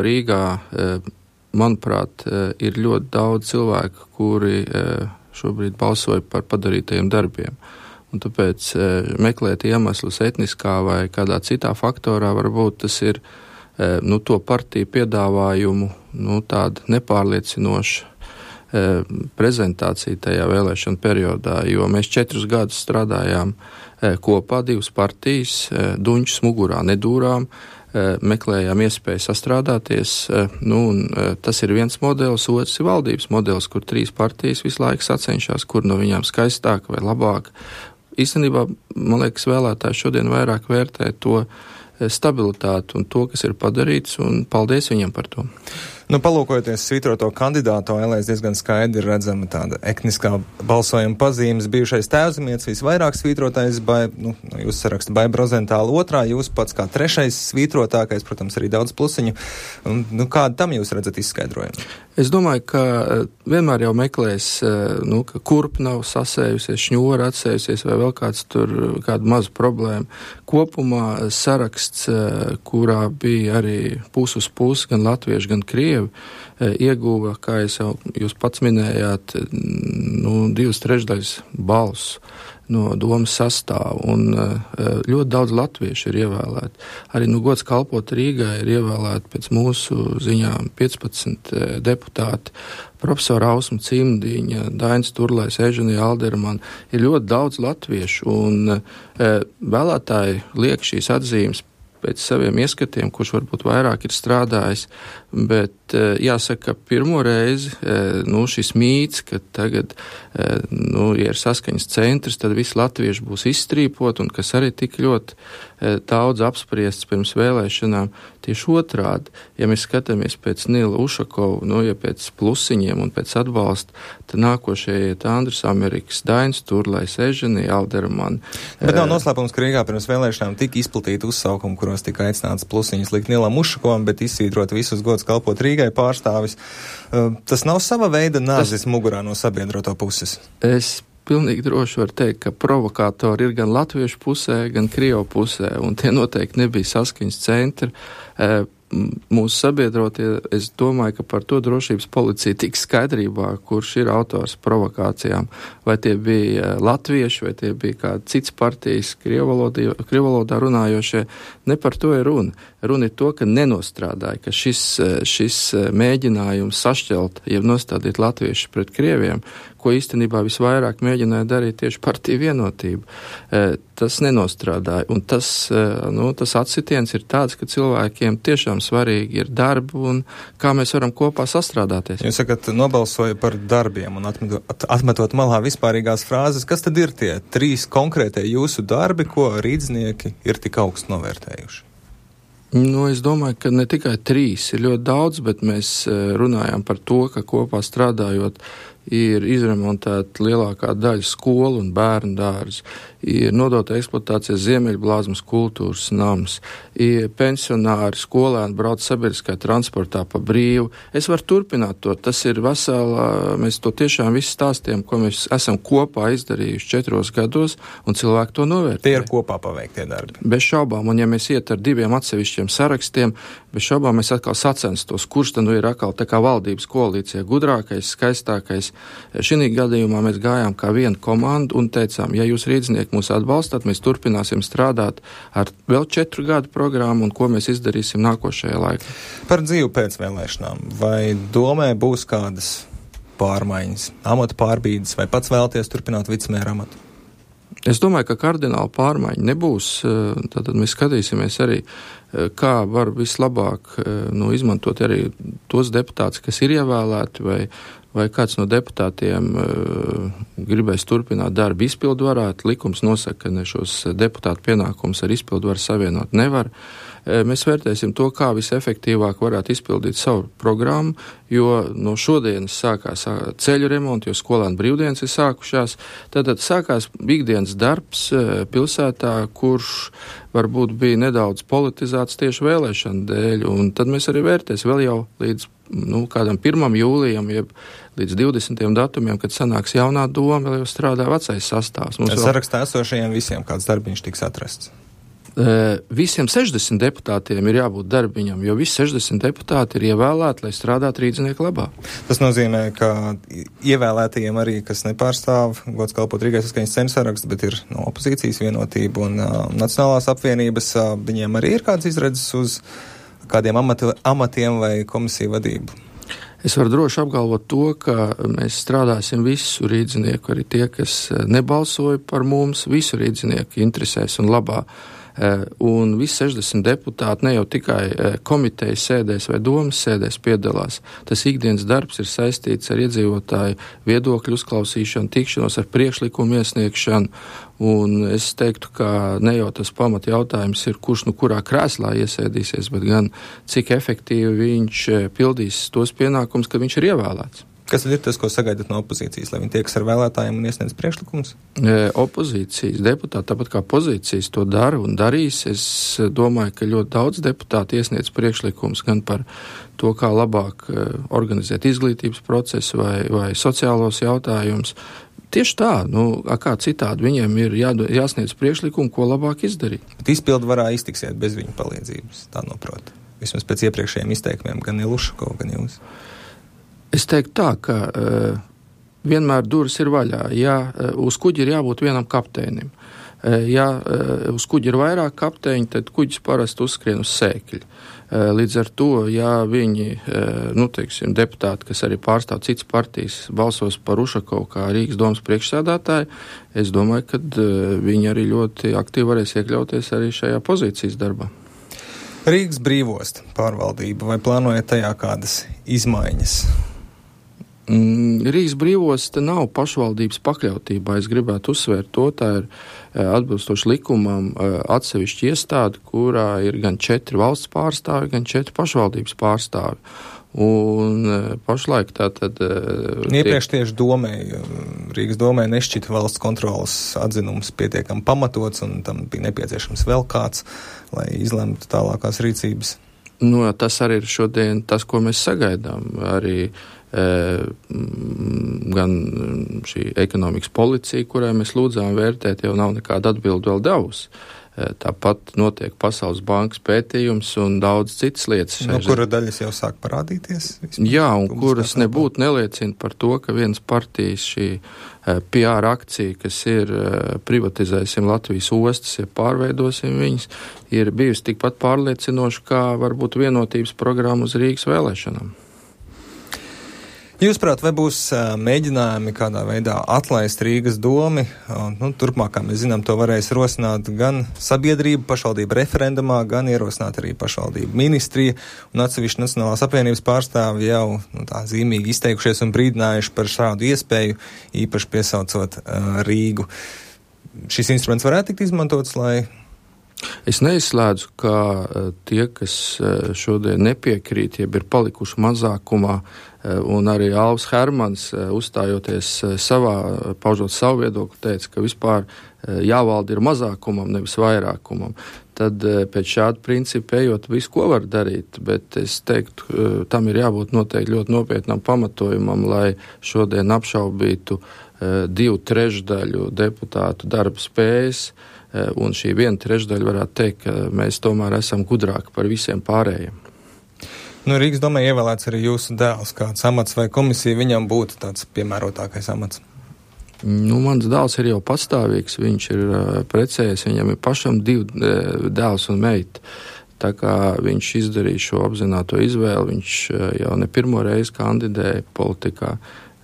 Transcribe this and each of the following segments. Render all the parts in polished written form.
Rīgā, manuprāt, ir ļoti daudz cilvēku, kuri šobrīd balsoja par padarītajiem darbiem. Un tāpēc meklēt iemeslus etniskā vai kādā citā faktorā varbūt tas ir to partiju piedāvājumu tāda nepārliecinoša prezentācija tajā vēlēšana periodā, jo mēs 4 gadus strādājām kopā, 2 partijas, duņķus mugurā nedūrām, meklējām iespēju sastrādāties, un tas ir viens modelis, otrs ir valdības modelis, kur 3 partijas visu laiku sacenšās, kur no viņām skaistāk vai labāk. Īstenībā, man liekas, vēlētāji šodien vairāk vērtē to stabilitāti un to, kas ir padarīts, un paldies viņam par to. Palūkojoties svītroto kandidātu ēlēs, diezgan skaidri redzama tāda etniskā balsojuma pazīmes. Bijušais Tēvzemietis visvairāk svītrotais, jūs saraksta Baiba Rozentāla 2, jūs pats kā 3. svītrotākais, protams, arī daudz plusiņu. Kādu tam jūs redzat izskaidrojumu? Es domāju, ka vienmēr jau meklēs, ka kurp nav sasējusies, šņora atsējusies vai vēl kādu mazu problēmu. Kopumā saraksts, kurā bija arī pus uz pusi, gan latvieši, gan krievi, ieguva, kā jūs pats minējāt, 2/3 balsu no domas sastāvu, un ļoti daudz latviešu ir ievēlēti. Arī gods kalpot Rīgai ir ievēlēti pēc mūsu ziņām 15 deputāti. Profesora Ausma Cimdiņa, Dainis Turlais, Eženija Alderman, ir ļoti daudz latviešu, un vēlētāji liek šīs atzīmes pēc saviem ieskatiem, kurš varbūt vairāk ir strādājis, bet jāsaka, ka pirmo reizi šis mīts, ka tagad ja ir saskaņas centrs, tad visi latvieši būs izstrīpot, un kas arī tik ļoti daudz apspriests pirms vēlēšanām, tieši otrādi. Ja mēs skatāmies pēc Nila Ušakova, ja pēc plusiņiem un pēc atbalsta, tad nākošie iet Andris Amerikas, Dainis Turlais, Eženija Alderman. Bet nav noslēpums, ka Rīgā pirms vēlēšanām tika izplatīti uzsaukumi, kuros tika aicināts plusiņus likt Nilam Ušakovam, bet izsvītrot visus gods kalpot Rīgai pārstāvis. Tas nav sava veida nāzis mugurā no sabiedroto puses? Es pilnīgi droši varu teikt, ka provokātori ir gan latviešu pusē, gan krievu pusē, un tie noteikti nebija saskaņas centri. Mūsu sabiedrotie, es domāju, ka par to drošības policija tiks skaidrībā, kurš ir autors provokācijām. Vai tie bija latvieši, vai tie bija kādi cits partijas krievvalodā runājošie. Ne par to ir runa. Runa ir to, ka nenostrādāja, ka šis mēģinājums sašķelt, jeb nostādīt latviešus pret krieviem, ko īstenībā visvairāk mēģināja darīt tieši partija Vienotība. Tas nenostrādāja, un tas atsitiens ir tāds, ka cilvēkiem tiešām svarīgi ir darbi un kā mēs varam kopā sastrādāties. Jūs sakat, nobalsoja par darbiem un atmetot malā vispārīgās frāzes, kas tad ir tie 3 konkrētie jūsu darbi, ko rīdznieki ir tik augstu novērtējuši? Es domāju, ka ne tikai 3 ir ļoti daudz, bet mēs runājam par to, ka kopā strādājot ir izremontēta lielākā daļa skolu un bērnu dārzu, ir nodota eksploatācijas Ziemeļblāzmas kultūras nams, ir pensionāri, skolēni brauc sabiedriskā transportā pa brīvu. Es varu turpināt to, tas ir veselā, mēs to tiešām visu stāstiem, ko mēs esam kopā izdarījuši 4 gados, un cilvēki to novērtē. Tie ir kopā paveiktie darbi. Bez šaubām, un ja mēs iet ar 2 atsevišķiem sarakstiem, bez šaubām mēs atkal sacenstos, kurš tad ir atkal tā kā valdības koalīcija gudrākais, skaistākais. Šī gadījumā mēs gājām kā viena komanda un teicām, ja jūs rīdznieki mūs atbalstāt, mēs turpināsim strādāt ar vēl 4 gadu programmu un ko mēs izdarīsim nākošajā laikā. Par dzīvi pēc vēlēšanām. Vai domē būs kādas pārmaiņas, amata pārbīdes, vai pats vēlaties turpināt vicemēra amatu? Es domāju, ka kardināla pārmaiņa nebūs. Tad mēs skatīsimies arī, kā var vislabāk izmantot arī tos deputātus, kas ir ievēlēti, vai kāds no deputātiem gribēs turpināt darbu izpildvarā. Likums nosaka, ka šos deputātu pienākumus ar izpildvaru savienot nevar. Mēs vērtēsim to, kā visefektīvāk varētu izpildīt savu programmu, jo no šodienas sākās ceļu remonti, jo skolēnu brīvdienas ir sākušās. Tad sākās ikdienas darbs pilsētā, kurš varbūt bija nedaudz politizēts tieši vēlēšanu dēļ, un tad mēs arī vērtēsim vēl jau līdz kādam 1. jūlijam, jeb līdz 20. datumiem, kad sanāks jaunā doma, vēl jau strādā vecais sastāvs. Sarakstā esošajiem visiem kāds darbiņš tiks atrasts. Visiem 60 deputātiem ir jābūt darbiņam, jo visi 60 deputāti ir ievēlēti, lai strādātu rīdznieku labā. Tas nozīmē, ka ievēlētajiem arī, kas nepārstāv gods kalpot Rīgai saskaņas ceļu sarakstu, bet ir no opozīcijas Vienotība un Nacionālās apvienības, viņiem arī ir kāds izredzes uz kādiem amatiem vai komisiju vadību? Es varu droši apgalvot to, ka mēs strādāsim visu rīdzinieku, arī tie, kas nebalsoja par mums, visu rīdzinieku interesēs un labā. Un visi 60 deputāti ne jau tikai komitejas sēdēs vai domas sēdēs piedalās. Tas ikdienas darbs ir saistīts ar iedzīvotāju viedokļu uzklausīšanu, tikšanos ar priekšlikumu iesniegšanu. Un es teiktu, ka ne jau tas pamat jautājums ir, kurš kurā krēslā iesēdīsies, bet gan cik efektīvi viņš pildīs tos pienākumus, ka viņš ir ievēlēts. Kas tad ir tas, ko sagaidat no opozīcijas, lai viņi tiekas ar vēlētājiem un iesniedz priekšlikumus? Opozīcijas deputāti, tāpat kā pozīcijas, to dara un darīs. Es domāju, ka ļoti daudz deputāti iesniedz priekšlikumus gan par to, kā labāk organizēt izglītības procesu vai sociālos jautājumus. Tieši tā, kā citādi viņiem ir jāsniedz priekšlikumu, ko labāk izdarīt. Bet izpildvarā iztiksiet bez viņu palīdzības, tā noprot. Vismaz pēc iepriekšējiem izteikumiem, gan Iluško, gan jūs. Es teiktu tā, ka vienmēr durvis ir vaļā. Ja uz kuģi ir jābūt vienam kapteinim. Ja uz kuģi ir vairāk kapteiņi, tad kuģis parasti uzskrien uz sēkļa. Līdz ar to, ja viņi, deputāti, kas arī pārstāv citas partijas, balsos par Ušakovu kā Rīgas domas priekšsēdētāju, es domāju, ka viņi arī ļoti aktīvi varēs iekļauties arī šajā pozīcijas darbā. Rīgas brīvosta pārvaldība, vai plānojat tajā kādas izmaiņas? Rīgas brīvosta nav pašvaldības pakļautībā. Es gribētu uzsvērt to, tā ir atbilstoši likumam atsevišķi iestāde, kurā ir gan 4 valsts pārstāvi, gan 4 pašvaldības pārstāvi. Un pašlaik tātad... Iepriekš tieši Rīgas domē nešķita valsts kontrolas atzinums pietiekami pamatots, un tam bija nepieciešams vēl kāds, lai izlemtu tālākās rīcības. Tas arī ir šodien tas, ko mēs sagaidām. Arī gan šī ekonomikas policija, kurai mēs lūdzām vērtēt, jau nav nekāda atbildi vēl devusi. Tāpat notiek Pasaules bankas pētījums un daudz citas lietas. Kura daļas jau sāk parādīties? Jā, un kuras nebūtu neliecina par to, ka vienas partijas šī PR akcija, kas ir privatizēsim Latvijas ostas, ja pārveidosim viņas, ir bijusi tikpat pārliecinoša, kā varbūt vienotības programma uz Rīgas vēlēšanām. Jūsuprāt, vai būs mēģinājumi kādā veidā atlaist Rīgas domi? Turpmāk, kā mēs zinām, to varēs rosināt gan sabiedrība pašvaldība referendumā, gan ierosināt arī pašvaldība ministrija, un atsevišķi Nacionālās apvienības pārstāvi jau tā zīmīgi izteikušies un brīdinājuši par šādu iespēju, īpaši piesaucot Rīgu. Šis instruments varētu tikt izmantots, lai... Es neizslēdzu, ka tie, kas šodien nepiekrīt, jeb ir palikuši mazākumā, un arī Alvs Hermans, uzstājoties paužot savu viedokli, teica, ka vispār jāvalda ir mazākumam, nevis vairākumam. Tad pēc šāda principa ejot visu, ko var darīt, bet es teiktu, tam ir jābūt noteikti ļoti nopietnam pamatojumam, lai šodien apšaubītu 2/3 deputātu darba spējas, un šī 1/3 varētu teikt, ka mēs tomēr esam gudrāki par visiem pārējiem. Rīgas domē ievēlēts arī jūsu dēls, kāds amats vai komisija viņam būtu tāds piemērotākais amats? Mans dēls ir jau patstāvīgs, viņš ir precējies, viņam ir pašam 2 dēls un meita. Tā kā viņš izdarīja šo apzināto izvēli, viņš jau ne pirmo reizi kandidēja politikā.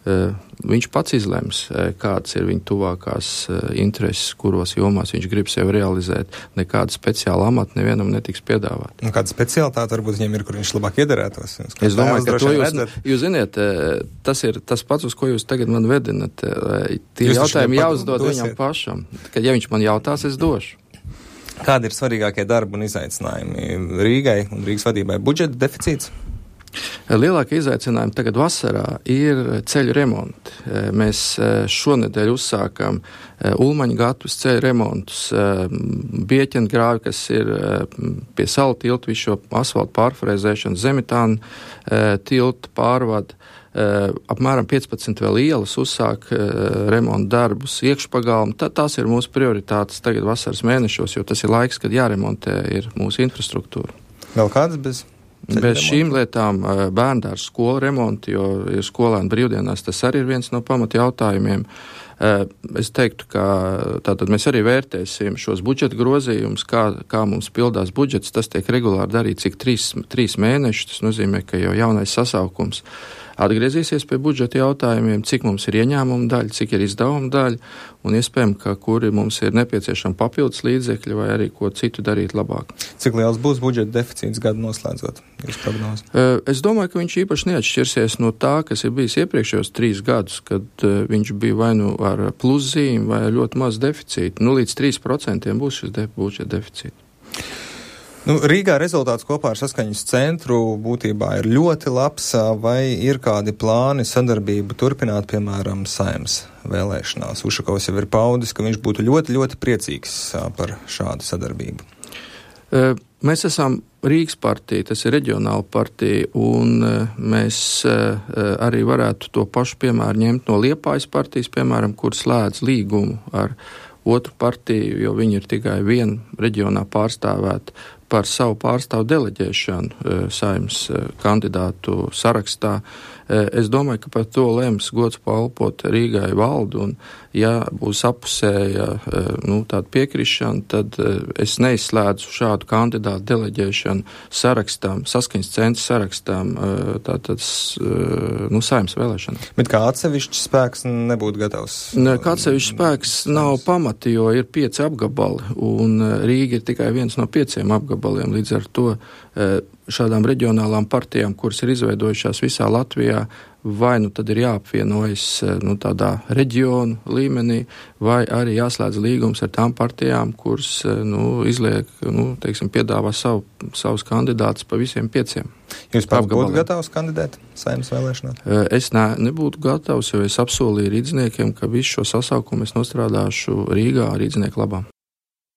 Viņš pats izlems, kādas ir viņa tuvākās intereses, kuros jomās viņš grib sevi realizēt. Nekāda speciāla amata nevienam netiks piedāvāt. Kāda specialitāte varbūt viņam ir, kur viņš labāk iederētos? Es domāju, ka to jūs ziniet, tas ir tas pats, uz ko jūs tagad man vedinat. Tie jautājumi jāuzdod viņam pašam. Kad ja viņš man jautās, es došu. Kādi ir svarīgākie darbi un izaicinājumi Rīgai un Rīgas vadībai? Budžeta deficīts? Lielākie izaicinājumi tagad vasarā ir ceļu remonti. Mēs šonedēļ uzsākam Ulmaņu gatavus ceļu remontus, Bieķengrāvi, kas ir pie Salu tilta, visu šo asfaltu pārfrēzēšanu, Zemitānu tilta pārvadu. Apmēram 15 vēl ielas uzsāk remontu darbus, iekšpagalmu. Tās ir mūsu prioritātes tagad vasaras mēnešos, jo tas ir laiks, kad jāremontē ir mūsu infrastruktūra. Vēl kādas bez šīm lietām bērndārs skolu remonti, jo ir skolēni brīvdienās, tas arī ir viens no pamata jautājumiem. Es teiktu, ka tātad mēs arī vērtēsim šos budžeta grozījumus, kā mums pildās budžets, tas tiek regulāri darīts cik 3 mēnešus, tas nozīmē, ka jau jaunais sasaukums atgriezīsies pie budžeta jautājumiem, cik mums ir ieņēmuma daļa, cik ir izdevuma daļa, un iespējams, ka kuri mums ir nepieciešami papildus līdzekļi vai arī ko citu darīt labāk. Cik liels būs budžeta deficīts gadu noslēdzot jūs prognozi? Es domāju, ka viņš īpaši neatšķirsies no tā, kas ir bijis iepriekšējos 3 gadus, kad viņš bija vai nu ar pluszīm vai ļoti maz deficītu. Līdz 3% būs šis budžeta deficīts. Rīgā rezultāts kopā ar saskaņas centru būtībā ir ļoti labs, vai ir kādi plāni sadarbību turpināt, piemēram, Saeimas vēlēšanās? Ušakovs jau ir paudis, ka viņš būtu ļoti, ļoti priecīgs par šādu sadarbību. Mēs esam Rīgas partija, tas ir reģionāla partija, un mēs arī varētu to pašu piemēru ņemt no Liepājas partijas, piemēram, kur slēdz līgumu ar otru partiju, jo viņi ir tikai viena reģionā pārstāvēta par savu pārstāvu deleģēšanu Saeimas kandidātu sarakstā. Es domāju, ka par to lems gods palpot Rīgai valdu, un ja būs apusēja tāda piekrišana, tad es neizslēdzu šādu kandidātu deleģēšanu sarakstam, saskaņas centra sarakstam, tātad Saeimas vēlēšanām. Bet kā atsevišķs spēks nebūtu gatavs? Kā atsevišķs spēks nav pamati, jo ir 5 apgabali, un Rīga ir tikai viens no 5 apgabaliem. Līdz ar to šādām reģionālām partijām, kuras ir izveidojušās visā Latvijā, vai tad ir jāapvienojas tādā reģionu līmenī, vai arī jāslēdz līgums ar tām partijām, kuras izliek, piedāvā savus kandidātus pa visiem 5. Jūs pats būtu gatavs kandidēt Saeimas vēlēšanās? Es nebūtu gatavs, jo es apsolīju rīdzniekiem, ka visu šo sasaukumu es nostrādāšu Rīgā rīdznieku labā.